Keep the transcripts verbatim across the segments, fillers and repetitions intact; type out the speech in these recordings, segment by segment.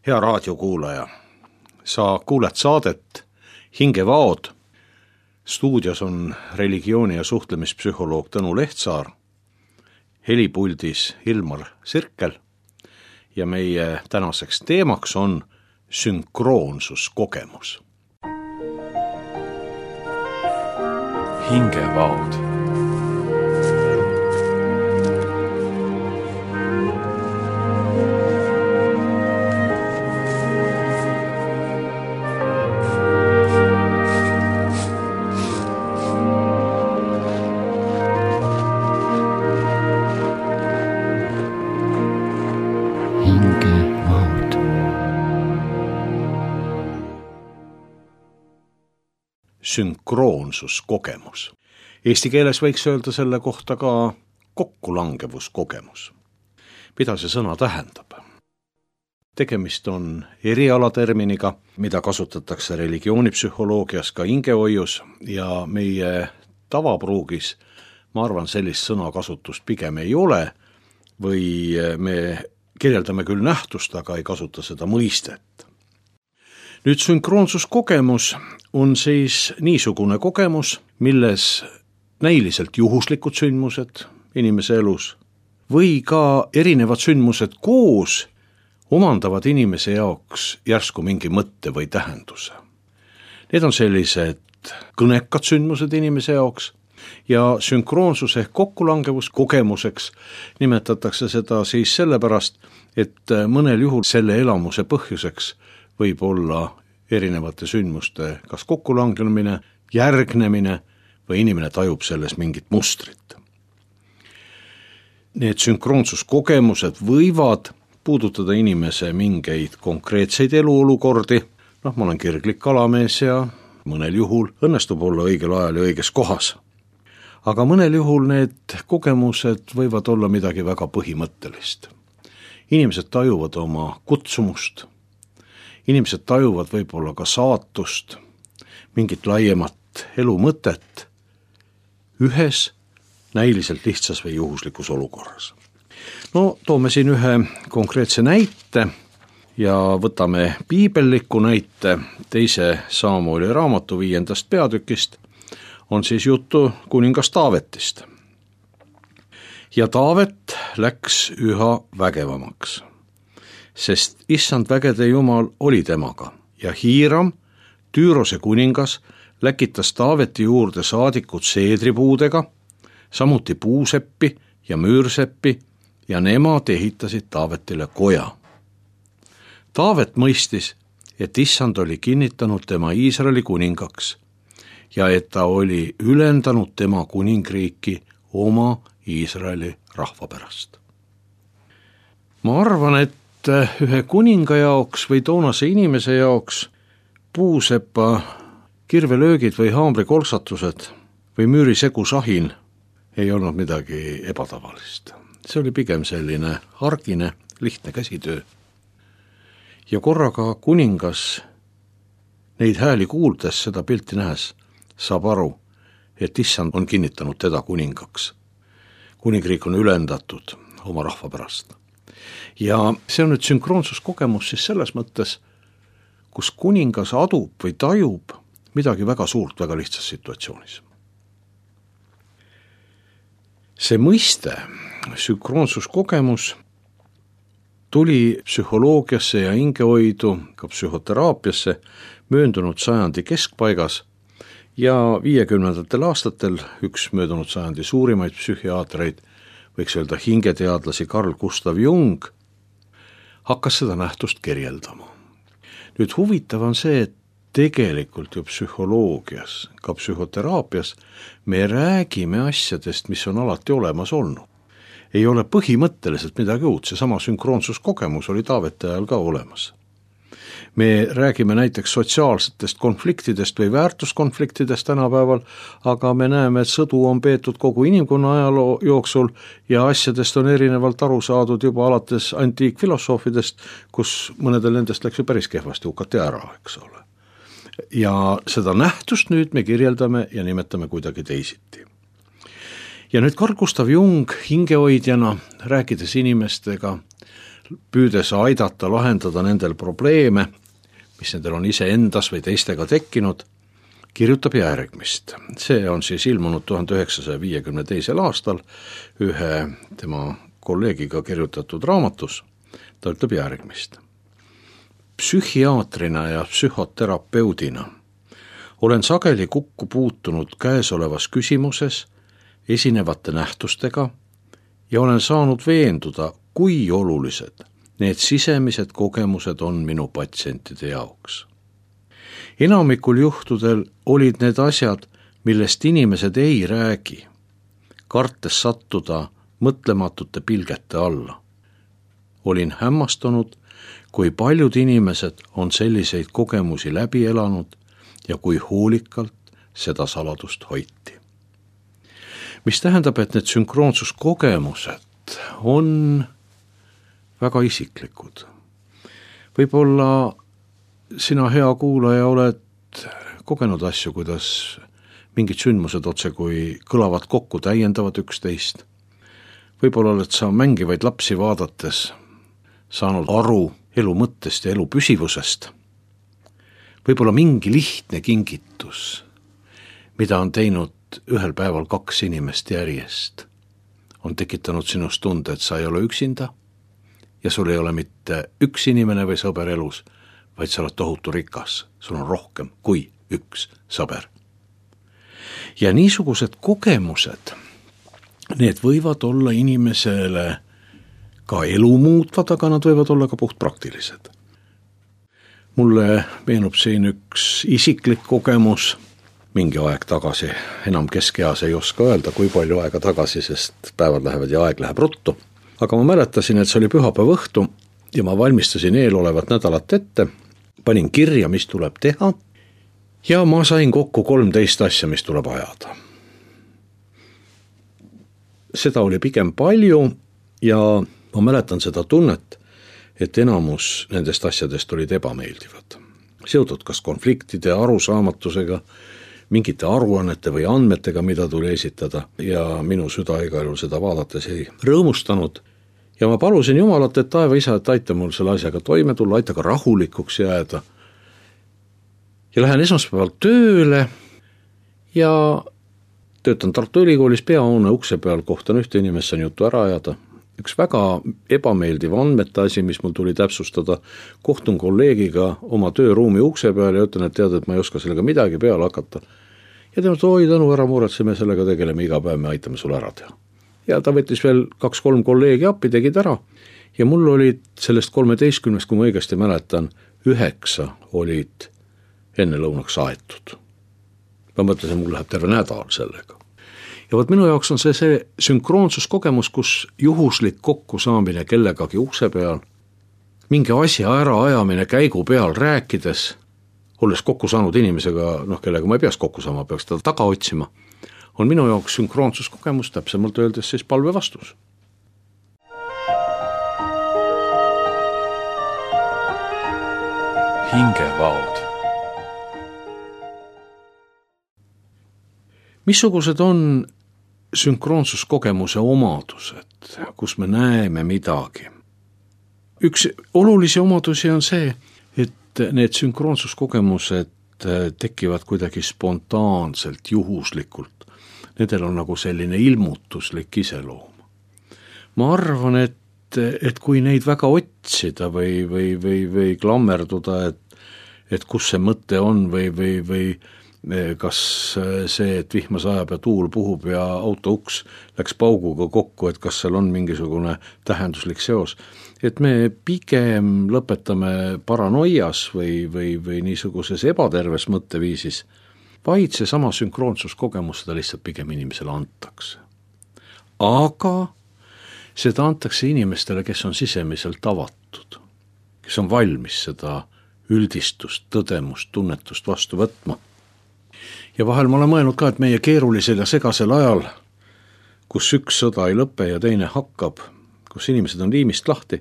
Hea raadiokuulaja, sa kuuled saadet Hingevaod. Stuudios on religiooni- ja suhtlemispsühholoog Tõnu Lehtsaar, helipuldis Ilmar Sirkel ja meie tänaseks teemaks on sünkroonsuskogemus. Hingevaod. Sünkroonsuskogemus. Eesti keeles võiks öelda selle kohta ka kokkulangevuskogemus. Mida see sõna tähendab? Tegemist on erialaterminiga, mida kasutatakse religioonipsühholoogias ka hingehoius ja meie tavapruugis, ma arvan, sellist sõnakasutust pigem ei ole või me kirjeldame küll nähtust, aga ei kasuta seda mõistet. Nüüd sünkroonsuskogemus on siis niisugune kogemus, milles näiliselt juhuslikud sündmused inimese elus või ka erinevad sündmused koos omandavad inimese jaoks järsku mingi mõtte või tähenduse. Need on sellised kõnekad sündmused inimese jaoks ja sünkroonsus ehk kokkulangevus kogemuseks nimetatakse seda siis sellepärast, et mõnel juhul selle elamuse põhjuseks võib olla erinevate sündmuste kas kokkulangemine, järgnemine või inimene tajub selles mingit mustrit. Need sünkroonsuskogemused võivad puudutada inimese mingeid konkreetseid eluolukordi, noh, ma olen kirglik kalamees ja mõnel juhul õnnestub olla õigel ajal ja õiges kohas. Aga mõnel juhul need kogemused võivad olla midagi väga põhimõttelist. Inimesed tajuvad oma kutsumust, inimesed tajuvad võib-olla ka saatust, mingit laiemat elu mõtet ühes näiliselt lihtsas või juhuslikus olukorras. No toome siin ühe konkreetse näite ja võtame piibelliku näite teise Saamueli raamatu viiendast peatükist, on siis juttu kuningas Taavetist. Ja Taavet läks üha vägevamaks, sest issand vägede jumal oli temaga ja Hiiram, Tüürose kuningas, läkitas Taaveti juurde saadikud seedripuudega, samuti puuseppi ja müürseppi ja nemad ehitasid Taavetile koja. Taavet mõistis, et issand oli kinnitanud tema Iisraeli kuningaks ja et ta oli ülendanud tema kuningriiki oma Iisraeli rahva pärast. Ma arvan, et ühe kuninga jaoks või toonase inimese jaoks puusepa kirvelöögid või haamrikolksatused või müürisegu sahin ei olnud midagi ebatavalist. See oli pigem selline argine, lihtne käsitöö. Ja korraga kuningas neid hääli kuuldes, seda pilti nähes, saab aru, et issand on kinnitanud teda kuningaks. Kuningriik on ülendatud oma rahva pärast. Ja see on nüüd sünkroonsuskogemus siis selles mõttes, kus kuningas adub või tajub midagi väga suurt väga lihtsas situatsioonis. See mõiste, sünkroonsuskogemus, tuli psühholoogiasse ja hingehoidu, ka psühhoteraapiasse möödunud sajandi keskpaigas ja viiekümnendatel aastatel üks möödunud sajandi suurimaid psühhiaatreid, võiks öelda hingeteadlasi Carl Gustav Jung, hakkas seda nähtust kirjeldama. Nüüd huvitav on see, et tegelikult ju psühholoogias, ka psühhoteraapias me räägime asjadest, mis on alati olemas olnud. Ei ole põhimõtteliselt midagi uut, see sama sünkroonsuskogemus oli Taaveti ajal ka olemas. Me räägime näiteks sotsiaalsetest konfliktidest või väärtuskonfliktidest tänapäeval, aga me näeme, et sõdu on peetud kogu inimkonna ajaloo jooksul ja asjadest on erinevalt aru saadud juba alates antiikfilosoofidest, kus mõnedel nendest läks ju päris kehvasti hukati ära, eks ole. Ja seda nähtust nüüd me kirjeldame ja nimetame kuidagi teisiti. Ja nüüd Carl Gustav Jung hingehoidjana, rääkides inimestega, püüdes aidata lahendada nendel probleeme, mis nendel on iseendas või teistega tekkinud, kirjutab järgmist. See on siis ilmunud tuhande üheksasaja viiekümne teisel aastal ühe tema kolleegiga kirjutatud raamatus. Ta ütleb järgmist. Psühhiaatrina ja psühhoterapeudina olen sageli kokku puutunud käesolevas küsimuses esinevate nähtustega ja olen saanud veenduda, kui olulised need sisemised kogemused on minu patsientide jaoks. Enamikul juhtudel olid need asjad, millest inimesed ei räägi, kartes sattuda mõtlematute pilgete alla. Olin hämmastunud, kui paljud inimesed on selliseid kogemusi läbi elanud ja kui hoolikalt seda saladust hoiti. Mis tähendab, et need sünkroonsuskogemused on väga isiklikud. Võib-olla sina, hea kuulaja, oled kogenud asju, kuidas mingid sündmused otse kui kõlavad kokku, täiendavad üksteist. Võib-olla oled sa mängivaid lapsi vaadates saanud aru elu mõttest ja elu püsivusest. Võib-olla mingi lihtne kingitus, mida on teinud ühel päeval kaks inimest järjest, on tekitanud sinust tunde, et sa ei ole üksinda ja sul ei ole mitte üks inimene või sõber elus, vaid sa oled tohutu rikas, sul on rohkem kui üks sõber. Ja niisugused kogemused, need võivad olla inimesele ka elu muutvad, aga nad võivad olla ka puht praktilised. Mulle meenub siin üks isiklik kogemus mingi aeg tagasi, enam keskeas ei oska öelda, kui palju aega tagasi, sest päevad lähevad ja aeg läheb ruttu. Aga ma mäletasin, et see oli pühapäeva õhtu ja ma valmistasin eelolevat nädalat ette, panin kirja, mis tuleb teha ja ma sain kokku kolmteist asja, mis tuleb ajada. Seda oli pigem palju ja ma mäletan seda tunnet, et enamus nendest asjadest olid ebameeldivad. Seotud kas konfliktide, arusaamatusega, mingite aruannete või andmetega, mida tuli esitada ja minu süda igal juhul seda vaadates ei rõõmustanud. Ja ma palusin Jumalat, et taeva isa, et aita mul selle asjaga toime tulla, aita ka rahulikuks jääda. Ja lähen esmaspäeval tööle ja töötan Tartu Ülikoolis peahoone ukse peal, kohtan ühte inimest, saan juttu ära ajada. Üks väga ebameeldiv andmete asi, mis mul tuli täpsustada, kohtun kolleegiga oma tööruumi ukse peal ja ütlen, et tead, et ma ei oska sellega midagi peale hakata. Ja tema, oi tänu, ära muretseme, sellega tegeleme iga päev, me aitame sulle ära teha. Ja ta võttis veel kaks-kolm kolleegi appi, tegid ära ja mul olid sellest kolmeteistkümnest, kui ma õigesti mäletan, üheksa olid enne lõunaks aetud. Ma mõtlesin, mul läheb terve nädal sellega. Ja võt minu jaoks on see see sünkroonsuskogemus, kus juhuslik kokkusaamine kellegagi ukse peal, mingi asja ära ajamine käigu peal rääkides, olles kokku saanud inimesega, noh, kellega ma ei peaks kokku saama, peaks teda taga otsima, on minu jaoks sünkroonsuskogemus, täpsemalt öeldes siis palve vastus. Hingevaod. Missugused on sünkroonsuskogemuse omadused, kus me näeme midagi? Üks olulisi omadusi on see, et need sünkroonsuskogemused tekivad kuidagi spontaanselt, juhuslikult. Nendel on nagu selline ilmutuslik iseloom. Ma arvan, et, et kui neid väga otsida või, või, või, või klammerduda, et, et kus see mõte on või, või, või kas see, et vihma sajab ja tuul puhub ja auto uks läks pauguga kokku, et kas seal on mingisugune tähenduslik seos, et me pigem lõpetame paranoias või, või, või niisuguses ebaterves mõtteviisis, vaid see sama sünkroonsuskogemus seda lihtsalt pigem inimesele antakse. Aga seda antakse inimestele, kes on sisemiselt avatud, kes on valmis seda üldistust, tõdemust, tunnetust vastu võtma. Ja vahel ma olen mõelnud ka, et meie keerulisel ja segasel ajal, kus üks sõda ei lõpe ja teine hakkab, kus inimesed on liimist lahti,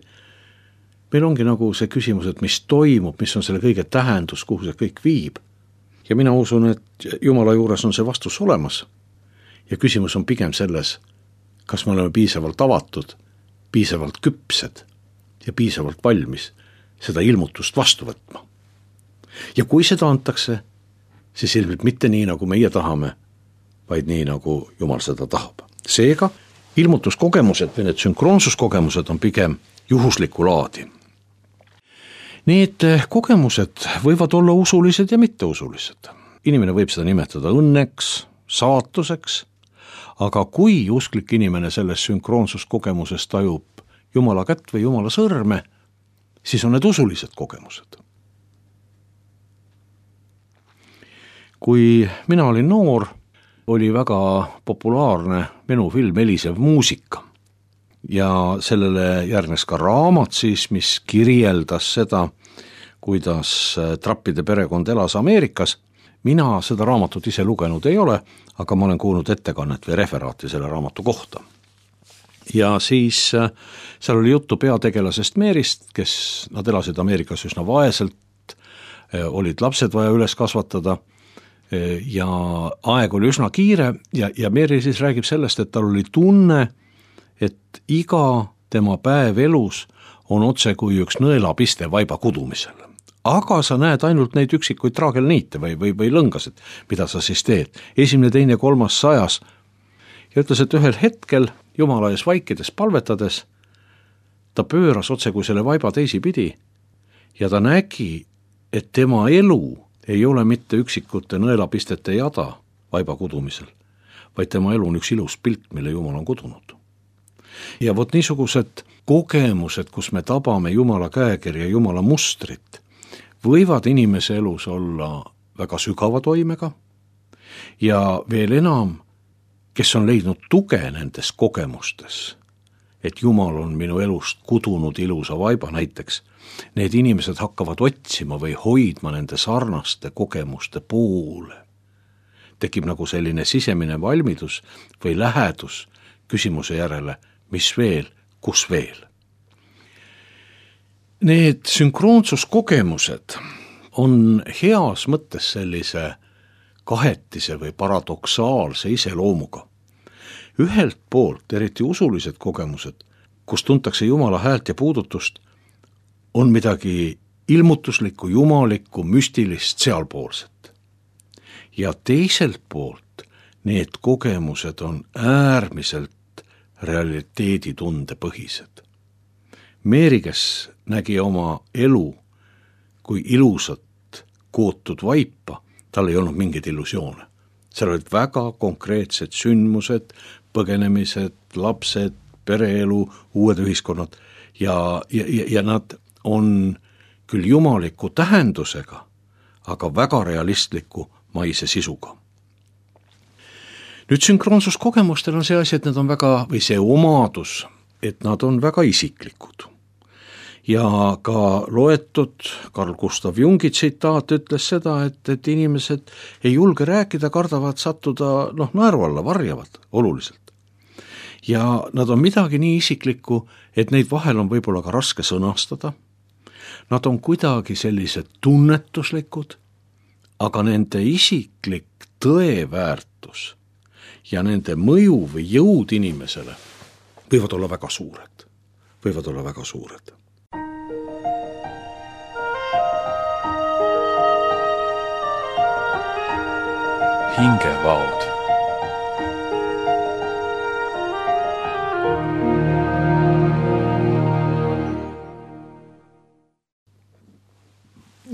meil ongi nagu see küsimus, et mis toimub, mis on selle kõige tähendus, kuhu see kõik viib. Ja mina usun, et Jumala juures on see vastus olemas. Ja küsimus on pigem selles, kas me oleme piisavalt avatud, piisavalt küpsed ja piisavalt valmis seda ilmutust vastu võtma. Ja kui seda antakse, siis ilmselt mitte nii, nagu meie tahame, vaid nii, nagu Jumal seda tahab. Seega ilmutuskogemused või need sünkroonsuskogemused on pigem juhuslikku laadi. Need kogemused võivad olla usulised ja mitteusulised. Inimene võib seda nimetada õnneks, saatuseks, aga kui usklik inimene selles sünkroonsuskogemuses tajub Jumala kätt või Jumala sõrme, siis on need usulised kogemused. Kui mina olin noor, oli väga populaarne menufilm Helisev muusika ja sellele järgnes ka raamat siis, mis kirjeldas seda, kuidas Trappide perekond elas Ameerikas. Mina seda raamatut ise lugenud ei ole, aga ma olen kuulnud ettekannet või referaati selle raamatu kohta. Ja siis seal oli juttu peategelasest Meerist, kes nad elasid Ameerikas üsna vaeselt, olid lapsed vaja üles kasvatada ja aeg oli üsna kiire ja, ja Meeri siis räägib sellest, et tal oli tunne, et iga tema päev elus on otse kui üks nõelapiste vaiba kudumisel. Aga sa näed ainult neid üksikuid traagelniite või, või, või lõngasid, mida sa siis teed. Esimene, teine, kolmas, sajas. Ja ütles, et ühel hetkel Jumala ees vaikides palvetades ta pööras otse kui selle vaiba teisipidi ja ta nägi, et tema elu ei ole mitte üksikute nõelapistete jada vaiba kudumisel, vaid tema elu on üks ilus pilt, mille Jumal on kudunud. Ja vot niisugused kogemused, kus me tabame Jumala käekirja, Jumala mustrit, võivad inimese elus olla väga sügava toimega ja veel enam, kes on leidnud tuge nendes kogemustes, et Jumal on minu elust kudunud ilusa vaiba näiteks, need inimesed hakkavad otsima või hoidma nende sarnaste kogemuste poole. Tekib nagu selline sisemine valmidus või lähedus küsimuse järele, mis veel, kus veel. Need sünkroonsuskogemused on heas mõttes sellise kahetise või paradoksaalse iseloomuga. Ühelt poolt, eriti usulised kogemused, kus tuntakse Jumala häält ja puudutust, on midagi ilmutuslikku, jumalikku, müstilist, sealpoolset. Ja teiselt poolt need kogemused on äärmiselt realiteeditunde põhised. Meeri, kes nägi oma elu kui ilusat kootud vaipa, tal ei olnud mingeid illusioone. Seal olid väga konkreetsed sündmused, põgenemised, lapsed, pereelu, uued ühiskonnad ja, ja, ja nad on küll jumaliku tähendusega, aga väga realistliku maise sisuga. Nüüd sünkroonsuskogemustel on see asi, et nad on väga, või see omadus, et nad on väga isiklikud. Ja ka loetud Carl Gustav Jungi tsitaat ütles seda, et, et inimesed ei julge rääkida, kardavad sattuda noh, naeru alla, varjavad oluliselt. Ja nad on midagi nii isiklikku, et neid vahel on võib-olla ka raske sõnastada. Nad on kuidagi sellised tunnetuslikud, aga nende isiklik tõeväärtus ja nende mõju või jõud inimesele võivad olla väga suured. Võivad olla väga suured. Hingevaod.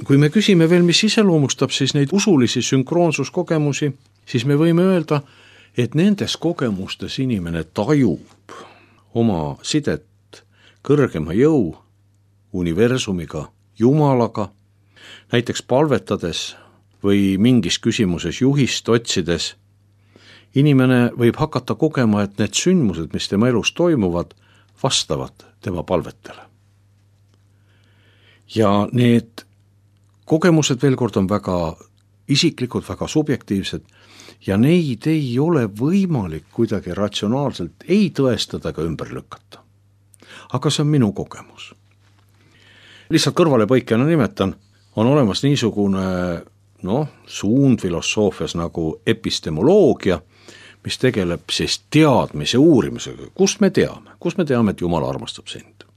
Kui me küsime veel, mis iseloomustab siis neid usulisi sünkroonsuskogemusi, siis me võime öelda, et nendes kogemustes inimene tajub oma sidet kõrgema jõu, universumiga, Jumalaga, näiteks palvetades või mingis küsimuses juhist otsides. Inimene võib hakata kogema, et need sündmused, mis tema elus toimuvad, vastavad tema palvetele. Ja need kogemused veel kord on väga isiklikud, väga subjektiivsed ja neid ei ole võimalik kuidagi ratsionaalselt ei tõestada ega ümber lükata. Aga see on minu kogemus. Lihtsalt kõrvalepõikjana nimetan, on olemas niisugune no, suund filosoofias nagu epistemoloogia, mis tegeleb siis teadmise uurimisega. Kust me teame? Kust me teame, et Jumal armastab sind?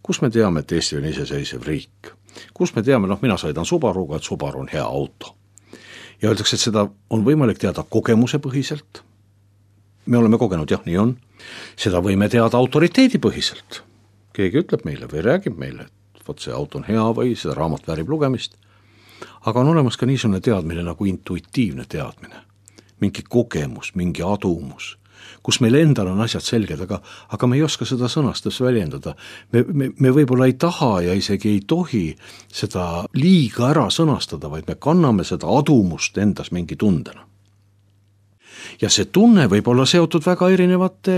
kus me teame, et Eesti on iseseisev riik, kus me teame, noh mina sõidan Subaruga, et Subaru on hea auto. Ja öeldakse, et seda on võimalik teada kogemuse põhiselt. Me oleme kogenud, jah, nii on. Seda võime teada autoriteedi põhiselt. Keegi ütleb meile või räägib meile, et võt see auto on hea või seda raamat väärib lugemist. Aga on olemas ka niisugune teadmine nagu intuitiivne teadmine. Mingi kogemus, mingi adumus, kus meil endal on asjad selged, aga, aga me ei oska seda sõnastus väljendada. Me, me, me võib-olla ei taha ja isegi ei tohi seda liiga ära sõnastada, vaid me kanname seda adumust endas mingi tundena. Ja see tunne võib olla seotud väga erinevate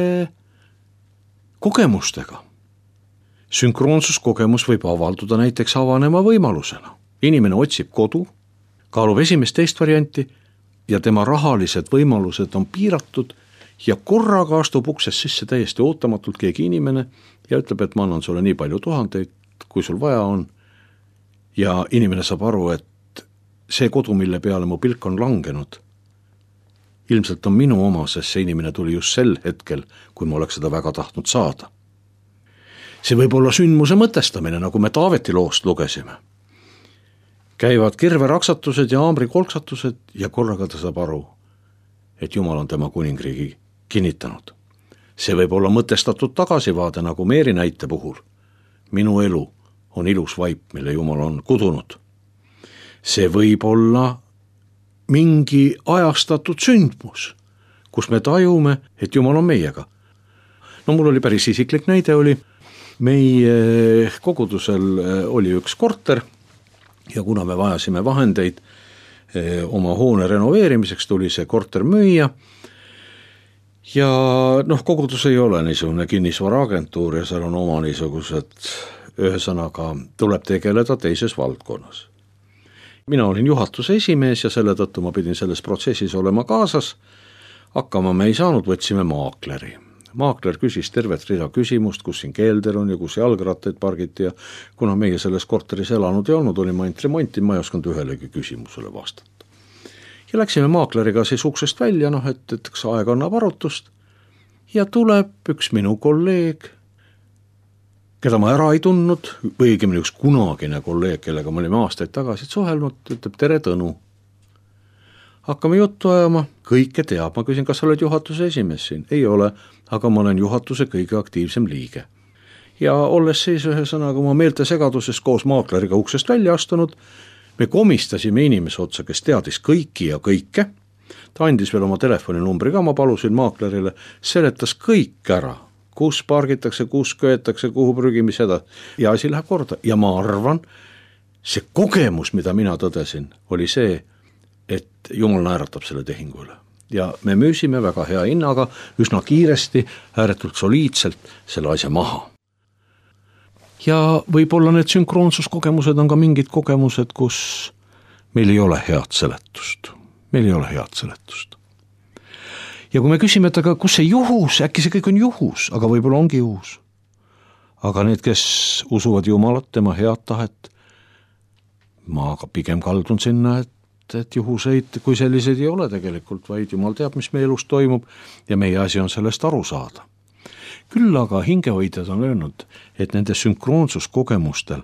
kogemustega. Sünkroonsuskogemus võib avalduda näiteks avanema võimalusena. Inimene otsib kodu, kaalub esimest teist varianti ja tema rahalised võimalused on piiratud ja korraga astub uksest sisse täiesti ootamatult keegi inimene ja ütleb, et ma annan sulle nii palju tuhandeid, kui sul vaja on. Ja inimene saab aru, et see kodu, mille peale mu pilk on langenud, ilmselt on minu oma, sest see inimene tuli just sel hetkel, kui ma oleks seda väga tahtnud saada. See võib olla sündmuse mõtestamine, nagu me Taaveti loost lugesime. Käivad kirveraksatused ja aamrikolksatused ja korraga ta saab aru, et Jumal on tema kuningriigi kinnitanud. See võib olla mõtestatud tagasivaade, nagu Meeri näite puhul. Minu elu on ilus vaip, mille Jumal on kudunud. See võib olla mingi ajastatud sündmus, kus me tajume, et Jumal on meiega. No mul oli päris isiklik näide, oli meie kogudusel oli üks korter ja kuna me vajasime vahendeid oma hoone renoveerimiseks, tuli see korter müüa ja noh, kogudus ei ole niisugune kinnisvaraagentuur ja seal on oma niisugused, ühesõnaga tuleb tegeleda teises valdkonnas. Mina olin juhatuse esimees ja selle tõttu ma pidin selles protsessis olema kaasas. Hakkama me ei saanud, võtsime maakleri. Maakler küsis tervet rida küsimust, kus siin keelder on ja kus jalgrattaid pargiti ja kuna meie selles korteris elanud ei olnud, oli ma ainult remonti, ma ei osanud ühelegi küsimusele vastata. Ja läksime maakleriga siis uksest välja, noh, et, et kas aeg annab arutust ja tuleb üks minu kolleeg, keda ma ära ei tundnud, või õigemini üks kunagine kolleeg, kellega me olime aastaid tagasi suhelnud, ütleb tere Tõnu. Hakkame juttu ajama, kõike teab, ma küsin, kas sa oled juhatuse esimees siin? Ei ole, aga ma olen juhatuse kõige aktiivsem liige. Ja olles siis ühe sõnaga oma meelte segaduses koos maakleriga uksest välja astunud, me komistasime inimese otsa, kes teadis kõiki ja kõike. Ta andis veel oma telefoninumbri ka, ma palusin maaklerile, seletas kõik ära, kus pargitakse, kus köetakse, kuhu prügimis seda ja asi läheb korda. Ja ma arvan, see kogemus, mida mina tõdesin, oli see, et Jumal naeratab selle tehingu üle. Ja me müüsime väga hea hinnaga, üsna kiiresti, ääretult soliidselt selle asja maha. Ja võib-olla need sünkroonsuskogemused on ka mingid kogemused, kus meil ei ole head seletust. Meil ei ole head seletust. Ja kui me küsime, et aga kus see juhus, äkki see kõik on juhus, aga võib-olla ongi juhus. Aga need, kes usuvad Jumalat, tema head tahet, ma pigem kaldun sinna, et, et juhuseid kui selliseid ei ole tegelikult, vaid Jumal teab, mis meie elus toimub ja meie asi on sellest aru saada. Küll aga hingehoidjad on öelnud, et nende sünkroonsuskogemustel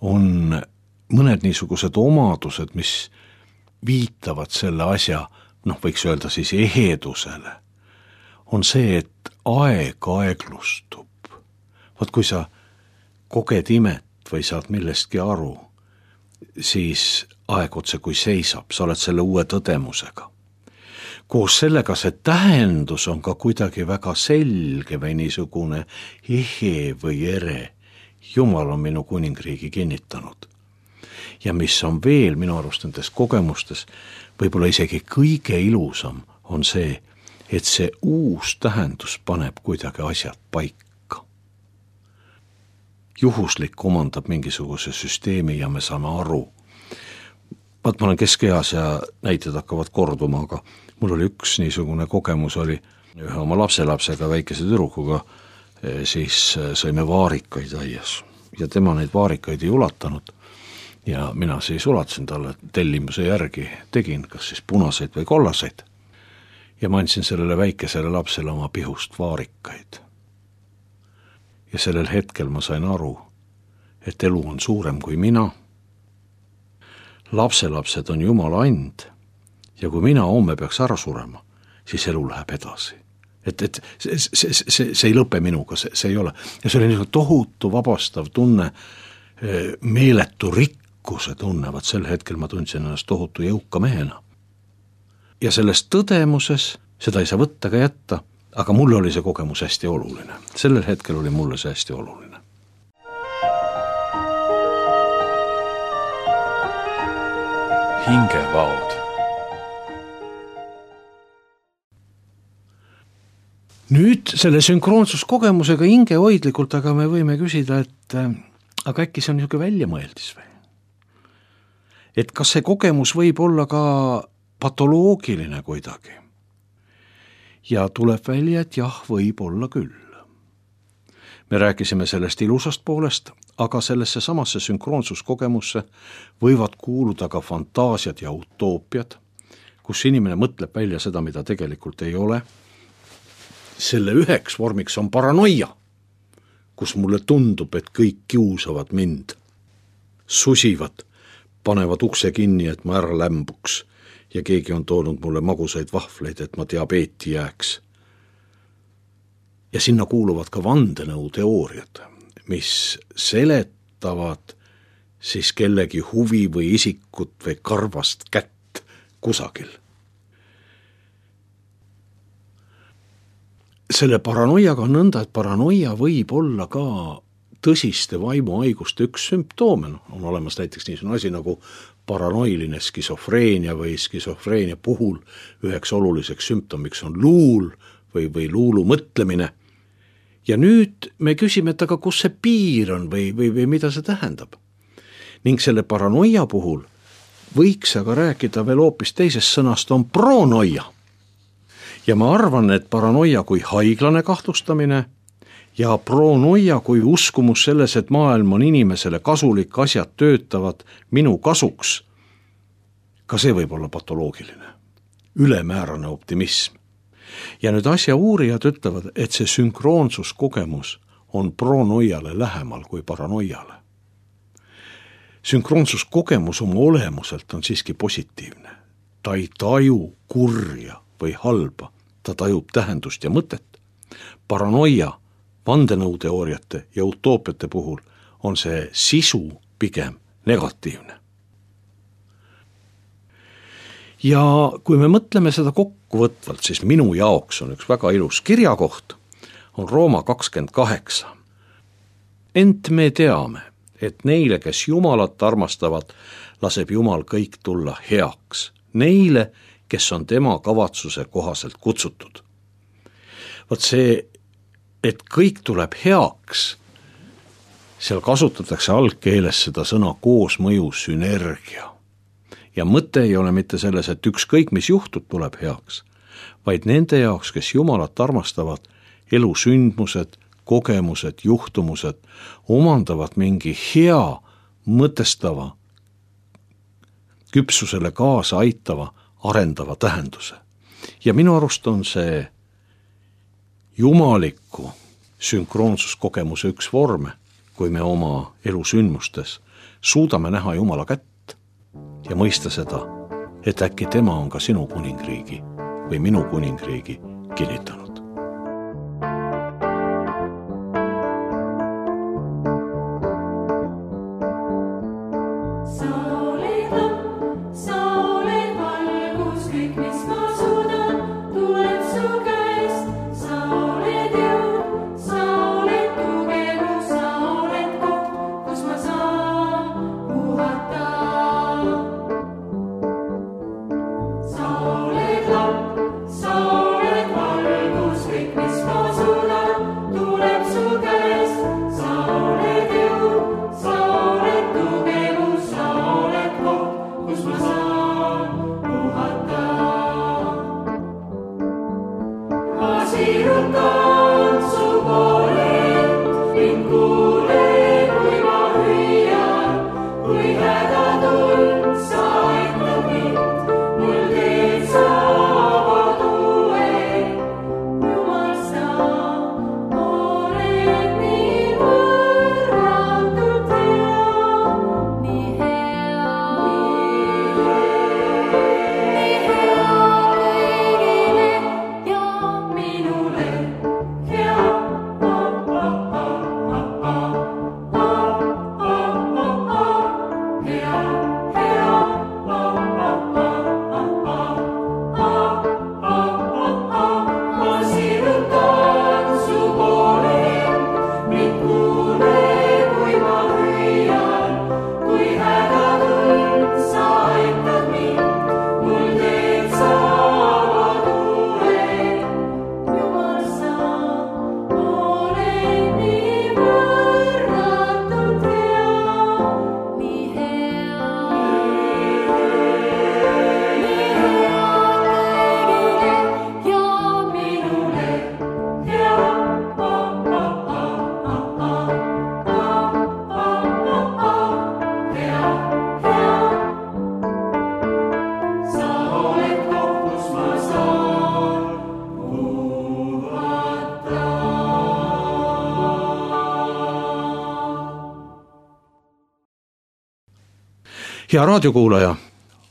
on mõned niisugused omadused, mis viitavad selle asja, noh võiks öelda siis ehedusele, on see, et aeg aeglustub. Vaat kui sa koged imet või saad millestki aru, siis aeg otse kui seisab, sa oled selle uue tõdemusega. Koos sellega see tähendus on ka kuidagi väga selge või niisugune ehe või ere. Jumal on minu kuningriigi kinnitanud. Ja mis on veel minu arust nendes kogemustes, võib-olla isegi kõige ilusam on see, et see uus tähendus paneb kuidagi asjad paika. Juhuslik omandab mingisuguse süsteemi ja me saame aru. Vaat ma olen keskeas ja näited hakkavad korduma, aga mul oli üks niisugune kogemus, oli ühe oma lapselapsega, väikese tüdrukuga, siis sõime vaarikaid aias ja tema neid vaarikaid ei ulatanud. Ja mina siis ulatasin talle tellimuse järgi, tegin kas siis punaseid või kollaseid. Ja ma andsin sellele väikesele lapsele oma pihust vaarikaid. ja sellel hetkel ma sain aru, et elu on suurem kui mina. Lapselapsed on Jumala and ja kui mina homme peaks ära surema, siis elu läheb edasi. Et, et see, see, see, see ei lõpe minuga, see, see ei ole. Ja see oli niisugune tohutu vabastav tunne, meeletu rikkuse tunnevad. Sel hetkel ma tundsin ennast tohutu jõuka mehena. Ja selles tõdemuses, seda ei saa võtta ka jätta, aga mulle oli see kogemus hästi oluline. Sellel hetkel oli mulle see hästi oluline. Hingevaod. Nüüd selle sünkroonsuskogemusega hingehoidlikult, aga me võime küsida, et aga äkki see on niisugune väljamõeldis või? Et kas see kogemus võib olla ka patoloogiline kuidagi? Ja tuleb välja, et jah, võib olla küll. Me rääkisime sellest ilusast poolest, aga sellesse samasse sünkroonsuskogemusse võivad kuuluda ka fantaasiad ja utoopiad, kus inimene mõtleb välja seda, mida tegelikult ei ole. Selle üheks vormiks on paranoia, kus mulle tundub, et kõik kiusavad mind, susivad, panevad ukse kinni, et ma ära lämbuks ja keegi on toonud mulle magusaid vahvleid, et ma diabeeti jääks. Ja sinna kuuluvad ka vandenõuteooriad, mis seletavad siis kellegi huvi või isikut või karvast kätt kusagil. Selle paranoiaga on nõnda, et paranoia võib olla ka tõsiste vaimuhaiguste üks sümptoome. On olemas näiteks niisugune asi nagu paranoiline skisofreenia või skisofreenia puhul üheks oluliseks sümptomiks on luul või, või luulu mõtlemine. Ja nüüd me küsime, et aga kus see piir on või, või, või mida see tähendab. Ning selle paranoia puhul võiks aga rääkida veel hoopis teisest sõnast, on pronoia. Ja ma arvan, et paranoia kui haiglane kahtlustamine ja pronoia kui uskumus selles, et maailm on inimesele kasulik, asjad töötavad minu kasuks, ka see võib olla patoloogiline, ülemäärane optimism. Ja nüüd asja uurijad ütlevad, et see sünkroonsuskogemus on pronoiale lähemal kui paranoiale. Sünkroonsuskogemus oma olemuselt on siiski positiivne. Ta ei taju kurja või halba, ta tajub tähendust ja mõtet. Paranoia, vandenõuteooriate ja utoopiate puhul on see sisu pigem negatiivne. Ja kui me mõtleme seda kokkuvõtvalt, siis minu jaoks on üks väga ilus kirjakoht, on Rooma kakskümmend kaheksa. Ent me teame, et neile, kes Jumalat armastavad, laseb Jumal kõik tulla heaks. Neile, kes on tema kavatsuse kohaselt kutsutud. Vot see, et kõik tuleb heaks, seal kasutatakse algkeeles seda sõna koosmõju, sünergia. Ja mõte ei ole mitte selles, et ükskõik mis juhtub, tuleb heaks, vaid nende jaoks, kes Jumalat armastavad, elusündmused, kogemused, juhtumused omandavad mingi hea, mõtestava, küpsusele kaasa aitava, arendava tähenduse. Ja minu arust on see jumaliku sünkroonsuskogemuse üks vorme, kui me oma elusündmustes suudame näha Jumala kätt ja mõista seda, et äkki tema on ka sinu kuningriigi või minu kuningriigi kinnitanud. Sa oled lamp, sa oled valgus. hea raadiokuulaja,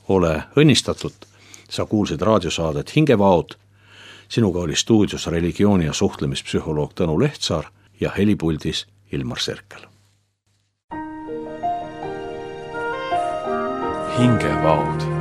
ole õnnistatud, sa kuulsid raadiosaadet Hingevaod. Sinuga oli stuudios religiooni- ja suhtlemispsühholoog Tõnu Lehtsaar ja helipuldis Ilmar Serkel. Hingevaod.